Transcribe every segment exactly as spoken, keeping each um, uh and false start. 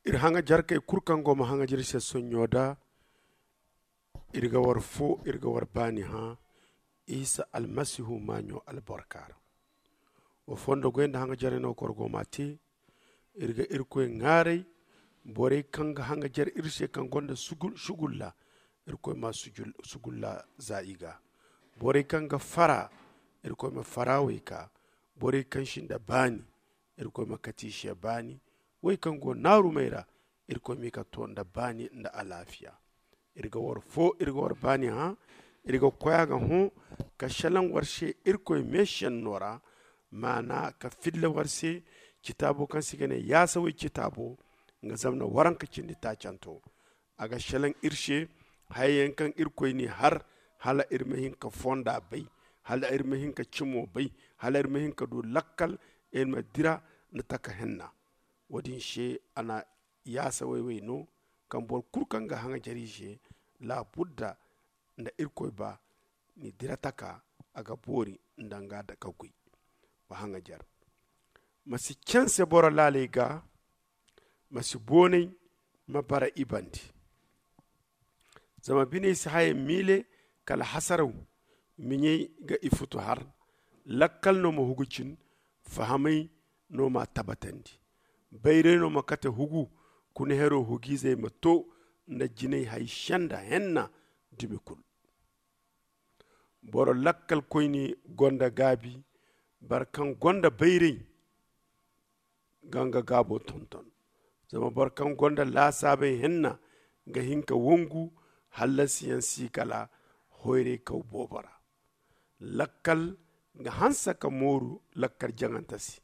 Iri haŋajarkey kulu kaŋ go ma haŋajar iri se sonɲo da, iri ga war fo, iri ga war baani hã isa almasihu maaɲo albarka ra. Wa fondo goy nda haŋajarey no koro go ma te. Iri ga irkoy ŋaaray, borey kaŋ ga haŋajar iri se kaŋ gonda sugulla, irkoy ma sugulla za i ga. Borey kaŋ ga fara, irkoy ma fara wey ka. Borey kaŋ sinda baani, irkoy ma kati i se baani. Wey kaŋ go naarumey ra, irkoy m'i ka to nda baani nda alaafiya. Iri ga war fo, iri ga war baani hã. Iri ga koy a ga hõ ka selaŋ war se irkoy meesenno ra, maana ka filla war se citaabo kaŋ se i ga ne yaasawey citaabo, nga zama na waranka cindi taacanto. A ga selaŋ iri se hayey yaŋ kaŋ irkoy n'i har, hala iri ma hin ka fonda bay, hala iri ma hin ka cimo bay, hala iri ma hin ka du lakkal, iri ma dira nda taka henna. Wo-din se a na yaasa wayway no, kaŋ boro kulu kaŋ ga haŋajar i se, laabudda nda irkoy ba ni dira taka, a ga boori nda nga da ka goy. Wa haŋajar, ma si canse boro laaley ga, ma si boonay, ma bara i bande. Zama biney si hayey miile kala hasaraw, miɲey ga i futu har. Lakkal no ma hugu cin, fahamay no m'a tabatandi. Bayray no ma kate hugu, kuna hero hugiizey ma to nda jinay hay senda henna dumi kulu. Boro lakkalkoyne gonda gaabi, boro kaŋ gonda bayray ga nga gaabo tonton. Zama boro kaŋ gonda laasaabey henna ga hin ka wongu, hallasiyaŋ si kala hoyray kaw boobo ra. Lakkal ga hanse ka mooru lakkal jaŋante se.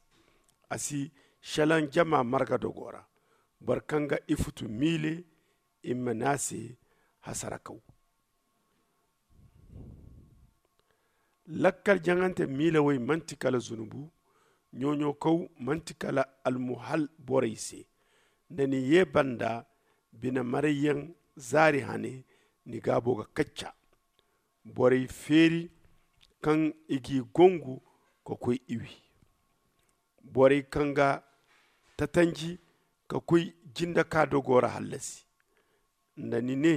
A si selaŋ jama marga dogo ra. Boro kaŋ ga ifutu miile, i ma ne a se hasarakaw. Lakkal jaŋante miilawey manti kala zunubu, ɲooɲookaw manti kala almuhal borey se. Da ni ye banda, bine marayyaŋ zaari hane, ni gaabo ga kacca. Borey feeri kaŋ i g'i gongu ka koy i wi. Borey kaŋ ga tatanji ka koy jinde ka dogo ra hallasi. Nda ni ne,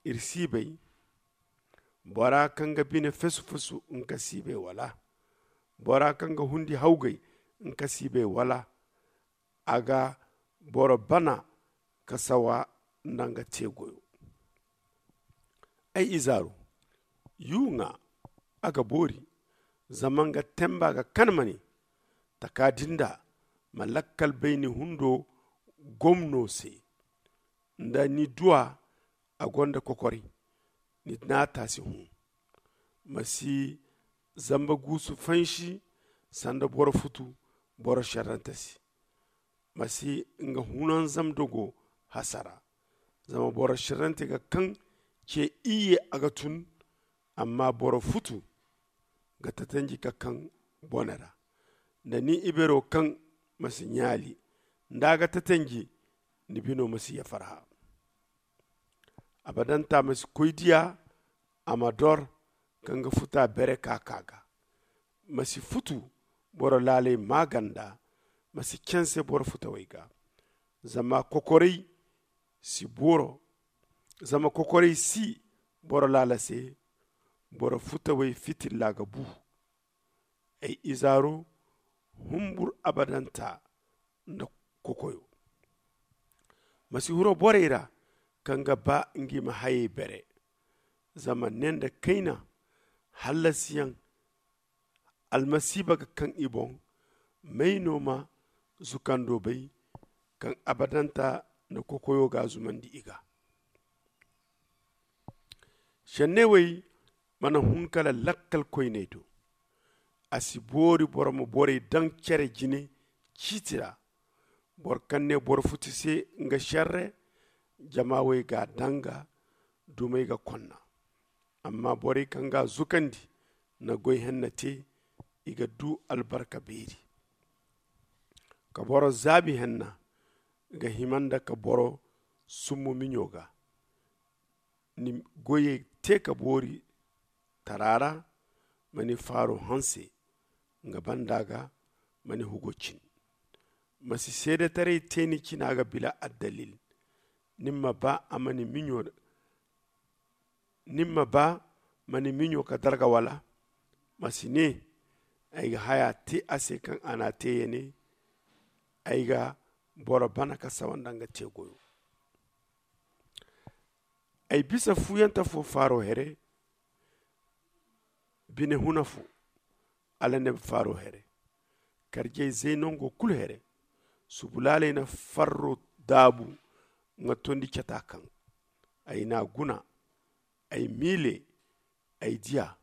iri si bay. Bora kaŋ ga bine fesu-fesu nga si bay wala? Bora kaŋ ga hundi hawgay nga si bay wala? A ga boro bana ka sawa nda nga te goyo. Ay izaaru, yuuŋa, a ga boori. Zama nga temba ga kan ma ne, taka din da ma lakkal bayni hundo gomno se. Nda ni duwa a gonda kokoray, ni naata si hũ. Ma si zamba guusu fansi sanda boro futu boro serrante se. Ma si nga hunanzam dogo hasara. Zama boro serrante ga kaŋ ce iyye a ga tun. Amma boro futu ga tatanji ka kaŋ bone ra. Nda ni ibero kaŋ ma si ɲaali nda a ga tatanji, ni bino ma si ya farha. Abadanta ma si koy diya a ma dor ka nga futa bere ka ka ga. Ma si futu boro laaley maaganda. Ma si canse boro futawey ga. Zama kokoray si boro zama kokoray si boro laala se. Boro futawey fitilla ga bu. Ay izaaro, humbur abadanta nda kokoyo. Ma si huro borey ra kaŋ ga ba ngi ma hayey bere. Zama ne nda kayna hallasiyaŋ almasiiba ga kaŋ i boŋ. May no ma zukando bay kaŋ abadanta nda kokoyo ga zumandi i ga? Senney wey mana hun kala lakkal koyney do. A si boori boro ma borey daŋ cere jine ciiti ra. Boro kaŋ ne boro futi se nga serre, jama wey ga a daŋ ga dumey ga konna. Amma borey kaŋ ga a zukandi na goy henna te, i ga du albarka beeri. Ka boro zaabi henna ga hima nda ka boro summu miɲo ga. Ni goyey te ka boori tara ra. Ma ni faaro hanse nga banda ga. Ma ni hugo cin. Ma si seedetaray te ni cina ga bila addalil. Ni ma ba a ma ni miɲo ni ma ba ma ni miɲo ka darga wala? Ma si ne ay ga haya te a se kaŋ a n'a te ya ne. Ay ga boro bana ka sawa nda nga te goyo. Ay bisa fuyanta fo faaro here, bine huna fo, ala nebe faaro here, karjey zey nango kulu here. Subulaaley na farro daabu nga tondi cata kaŋ ay n'a guna. Ay miile, ay diya,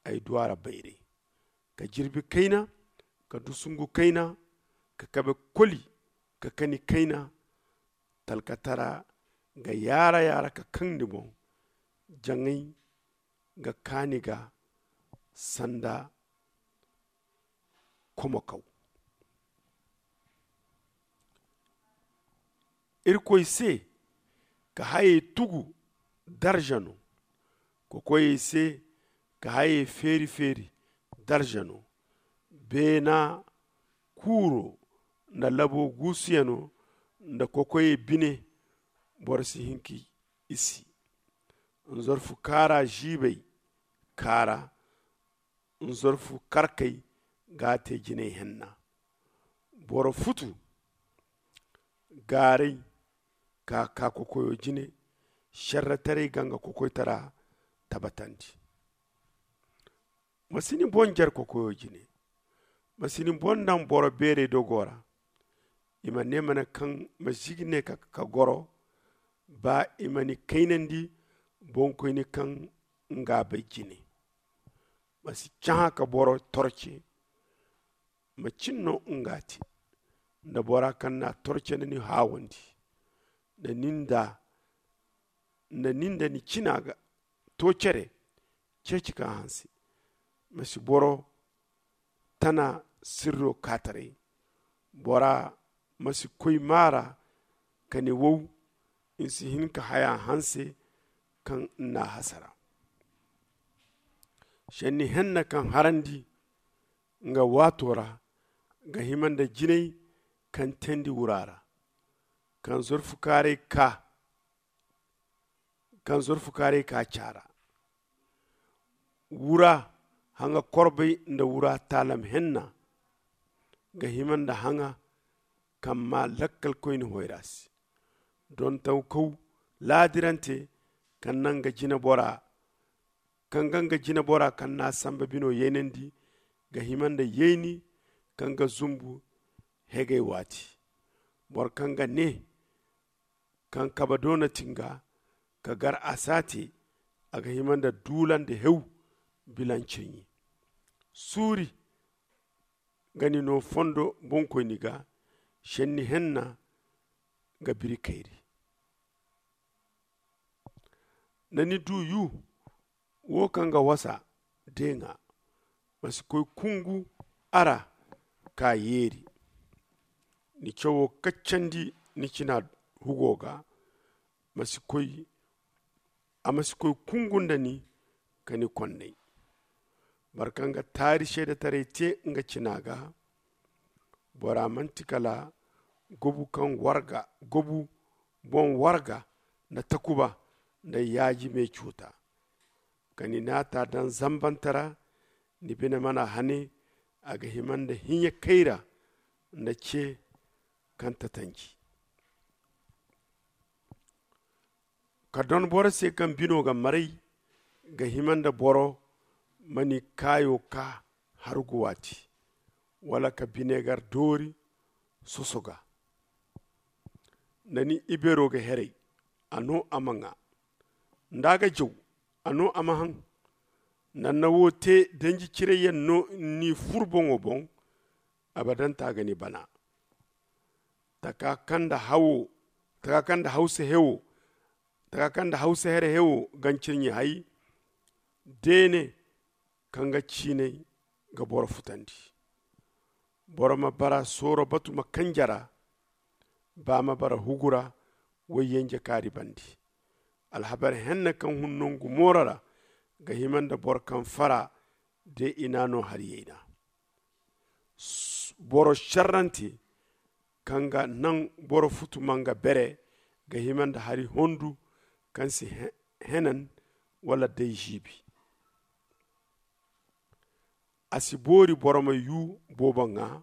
ay duwara bayray, ka jirbi kayna, ka dusungu kayna, ka kabe koli, ka kani kayna. Talkatara ga yaara-yaara ka kaŋ ni boŋ. Jaŋay ga kaani ga sanda komokaw. Irkoy se ka hayey tugu darza no. Kokoyey se ka hayey feeri-feeri darza no. Beena kuuro nda labo guusuyano nda kokoyey bine, boro si hin ka i si. Nzorfu kaara ziibey kaara, nzorfu karkey ga a te jinay henna. Boro futu gaaray ka ka kokoyo jine. Serretaray ga nga kokoytara tabatandi. Ma si ni boŋ jare kokoyo jine. Ma si ni boŋ daŋ boro beerey dogo ra. I ma ne mana kaŋ ma zigi ne ka goro. Ba i ma ni kaynandi boŋkoyni kaŋ nga bay jine. Ma si cahã ka boro torce. Ma cin no nga te nda bora kaŋ n'a torce nda ni haawandi nda ni nda ni cina ga to cere. Ceeci ka hanse. Ma si boro tana sirro kaataray. Bora ma si koy maara ka ni wow. Ni si hin ka haya hanse kaŋ n'a hasara. Senni henna kaŋ harandi nga waato ra ga hima nda jinay kaŋ teendi wura ra. Kaŋ zorfu kaaray ka kaŋ zorfu kaaray ka caara wura haŋa korbay nda wura taalam henna ga hima nda haŋa kaŋ ma lakkalkoyne hoyra se. Dontaw kaw laadirante kaŋ naŋ ga jina bora kaŋ ga nga jina bora kaŋ n'a samba bino yaynandi ga hima nda yayni kaŋ ga zumbu hegay waati. Boro kaŋ ga ne kaŋ kabe doona ti nga ka gar a saate a ga hima nda duula nda hew. Bilanceɲi suuri ga ni no fondo boŋkoyni ga. Senni henna ga biri kayri nda ni du yu wo kaŋ ga wasa deeŋa. Ma si koy kungu a ra ka yeeri. Ni cawo kaccandi ni cina hugo ga. Ma si koy a ma si koy kungu nda ni ka ni konnay. Boro kaŋ ga taari seedetaray te nga cina ga. Bora manti kala gobu kaŋ warga gobu boŋ warga nda takuba nda yaaji me cuuta. Ka ni naata daŋ zambante ra ni bine mana hane a ga hima nda hiɲe kayra nda ce kaŋ tatanji. Ka don boro se kaŋ bino ga maray ga hima nda boro ma ni kaayo ka hargu waati wala ka binegar doori soso ga. Nda ni ibeero ga heray a no a ma ŋaa nda a ga jaw a no a ma haŋ. Nda ni na wo te danji cirayyaŋ no ni fur boŋo boŋ. Abadanta ga ni bana taka kaŋ da hawo taka kaŋ da hawsa hewo taka kaŋ da hawsa here hewo gancirɲi hay. Deene kaŋ ga ciinay ga boro futandi. Boro ma bara sooro batu ma kanjara ba ma bara hugura. Wayyanje kaari bandi alhabar henne kaŋ hun nangu mooro ra ga hima nda boro kaŋ fara de i n'a no hari yayna. Boro serrante kaŋ ga naŋ boro futu ma nga bere ga hima nda hari hondu kaŋ si henan wala day ziibi. A si boori boro ma yuu boobo ŋaa.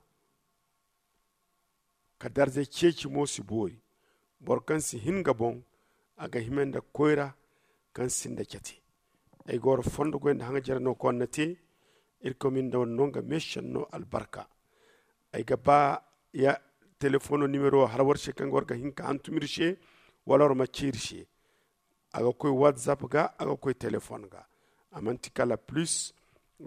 Ka darza ceeci mo si boori. Boro kaŋ si hin nga boŋ a ga hima nda koyra kaŋ sinda cate. Ay ga war fondo goy nda haŋajere no kaŋ war na te. Irkoy ma ni nda war no nga meesenno albarka. Ay ga ba ya telefoŋo nimero har war se kaŋ ga war ga hin ka hantum ir se wala war ma ci ir se. A ga koy whatsapp ga a ga koy telefoŋ ga. A manti kala plus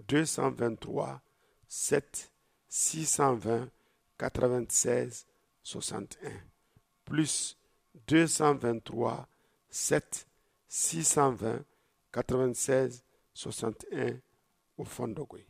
deux cent vingt-trois sept six cent vingt quatre-vingt-seize soixante-un. Plus deux cent vingt-trois sept six cent vingt quatre-vingt-seize soixante-un. Wa fondo goy.